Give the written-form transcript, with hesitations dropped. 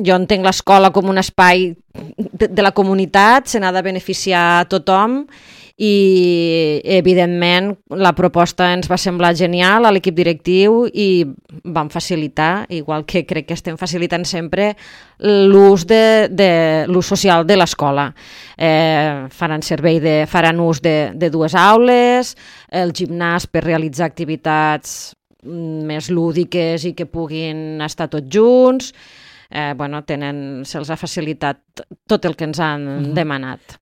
jo entenc l'escola com un espai de la comunitat, se n'ha de beneficiar a tothom i, evidentment, la proposta ens va semblar genial a l'equip directiu i vam facilitar, igual que crec que estem facilitant sempre, l'ús l'ús social de l'escola. Faran ús de 2 aules, el gimnàs per realitzar activitats més lúdiques i que puguin estar tots junts. Se'ls ha facilitat tot el que ens han demanat.